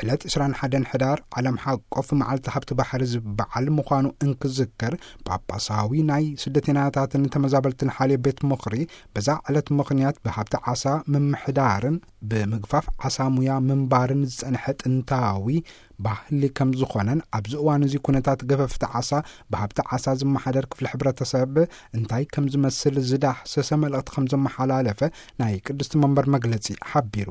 ዕለት ዕስራን ሓደን ሕዳር ዓለም ሓቆፍ መዓልቲ ሃብቲ ባሕሪ ዝበዓል ምዃኑ እንክዝከር፣ ጳጳሳዊ ናይ ስደተኛታትን ተመዛበልትን ሓልዮ ቤት ምኽሪ በዛ ዕለት ምኽንያት ብሃብቲ ዓሳ ምምሕዳርን ብምግፋፍ ዓሳ ሙያ ምንባርን ዝጸንሐ ጥንታዊ ባህሊ ከም ዝኾነን፣ ኣብዚ እዋን እዚ ኩነታት ገፈፍቲ ዓሳ ብሃብቲ ዓሳ ዝመሓደር ክፍሊ ሕብረተሰብ እንታይ ከም ዝመስል ዝዳህሰሰ መልእኽቲ ከም ዘመሓላለፈ ናይ ቅድስቲ መንበር መግለጺ ሓቢሩ።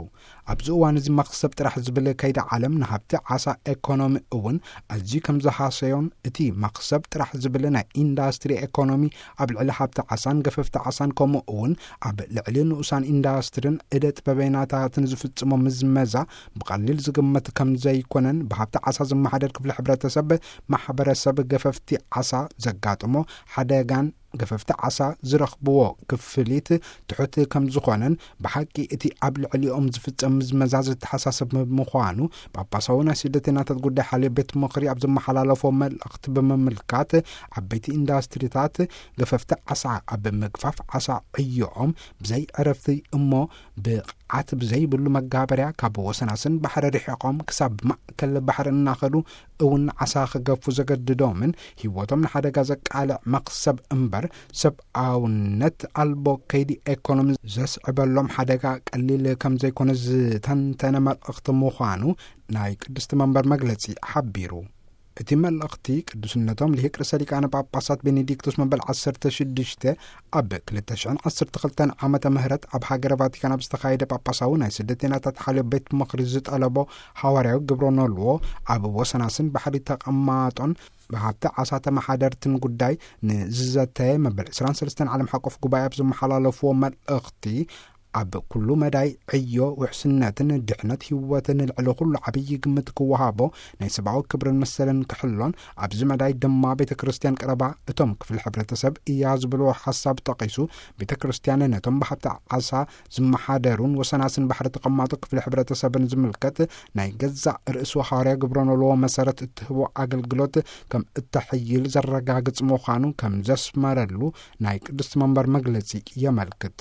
ኣብዚ እዋን እዚ መኽሰብ ጥራሕ ዝብል ከይዲ ዓለም ንሃብቲ ዓሳ ኤኮኖሚ እውን ኣዝዩ ከም ዝሃሰዮን፣ እቲ መኽሰብ ጥራሕ ዝብል ናይ ኢንዳስትሪ ኤኮኖሚ ኣብ ልዕሊ ሃብቲ ዓሳን ገፈፍቲ ዓሳን ከምኡ እውን ኣብ ልዕሊ ንኡሳን ኢንዳስትሪን እደ ጥበበኛታትን ዝፍጽሞ ምዝመዛ ብቐሊል ዝግመት ከም ዘይኮነን፣ ብሃብቲ ዓሳ ዝመሓደር ክፍሊ ሕብረተሰብ ማሕበረሰብ ገፈፍቲ ዓሳ ዘጋጥሞ ሓደጋን ገፈፍቲ ዓሳ ዝረኽብዎ ክፍሊት ትሑት ከም ዝኾነን፣ ብሓቂ እቲ ኣብ ልዕሊኦም ዝፍጸም ምዝመዛ ዘተሓሳስብ ምዃኑ ጳጳሳዊ ናይ ስደተኛታት ጉዳይ ሓልዮ ቤት ምኽሪ ኣብ ዘመሓላለፎ መልእኽቲ ብምምልካት፣ ዓበይቲ ኢንዳስትሪታት ገፈፍቲ ዓሳ ኣብ ምግፋፍ ዓሳ ዕዮኦም ብዘይ ዕረፍቲ እሞ ብቕዓት ብዘይብሉ መጋበርያ ካብ ወሰናስን ባሕሪ ርሒቖም ክሳብ ማእከል ባሕሪ እናኸዱ እውን ዓሳ ክገፉ ዘገድዶምን ህይወቶም ንሓደጋ ዘቃልዕ መኽሰብ እምበር ሰብኣውነት ኣልቦ ከይዲ ኤኮኖሚ ዘስዕበሎም ሓደጋ ቀሊል ከም ዘይኮነ ዝተንተነ መልእኽቲ ምዃኑ ናይ ቅድስቲ መንበር መግለጺ ሓቢሩ። እቲ መልእኽቲ ቅዱስነቶም ልሂቅ ርእሰ ሊቃነ ጳጳሳት ቤኔዲክቶስ መበል ዓሰርተ ሽዱሽተ ኣብ ክልተ ሽሕን ዓሰርተ ክልተን ዓመተ ምህረት ኣብ ሃገረ ቫቲካን ኣብ ዝተኻየደ ጳጳሳዊ ናይ ስደተኛታት ሓልዮ ቤት ምኽሪ ዝጠለቦ ሓዋርያዊ ግብረ ኖልዎ ኣብ ወሰናስን ባሕሪ ተቐማጦን ብሃብቲ ዓሳ ተመሓደርትን ጉዳይ ንዝዘተየ መበል ዕስራን ሰለስተን ዓለም ሓቆፍ ጉባኤ ኣብ ዘመሓላለፍዎ መልእኽቲ፣ ኣብ ኩሉ መዳይ ዕዮ ውሕስነትን ድሕነት ህይወትን ልዕሊ ኩሉ ዓብዪ ግምት ክወሃቦ፣ ናይ ሰብኣዊ ክብርን መሰልን ክሕሎን፣ ኣብዚ መዳይ ድማ ቤተ ክርስቲያን ቀረባ እቶም ክፍሊ ሕብረተሰብ እያ ዝብልዎ ሓሳብ ጠቒሱ፣ ቤተ ክርስቲያን ነቶም ብሃብቲ ዓሳ ዝመሓደሩን ወሰናስን ባሕሪ ተቐማጦ ክፍሊ ሕብረተሰብን ዝምልከት ናይ ገዛእ ርእሱ ሓዋርያ ግብረ ኖልዎ መሰረት እትህቦ ኣገልግሎት ከም እተሕይል ዘረጋግጽ ምዃኑ ከም ዘስመረሉ ናይ ቅድስቲ መንበር መግለጺ የመልክት።